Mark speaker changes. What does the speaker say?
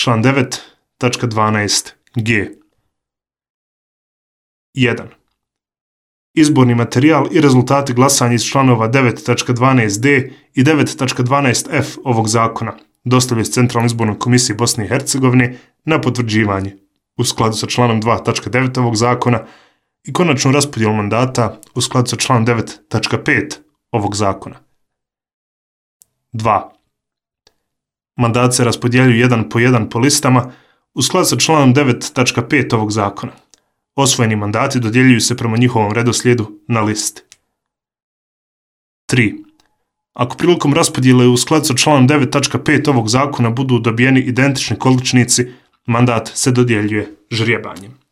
Speaker 1: član 9.12g. 1. Izborni materijal i rezultati glasanja iz članova 9.12d i 9.12f ovog zakona dostavljaju Centralnoj izbornoj komisiji Bosne i Hercegovine na potvrđivanje u skladu sa članom 2.9 ovog zakona i konačnu raspodjelu mandata u skladu sa članom 9.5 ovog zakona. 2. Mandat se raspodjeljuju jedan po listama u skladu sa članom 9.5 ovog zakona. Osvojeni mandati dodjeljuju se prema njihovom redoslijedu na listi. 3. Ako prilikom raspodjele u skladu sa članom 9.5 ovog zakona budu dobijeni identični količnici, mandat se dodjeljuje ždrijebanjem.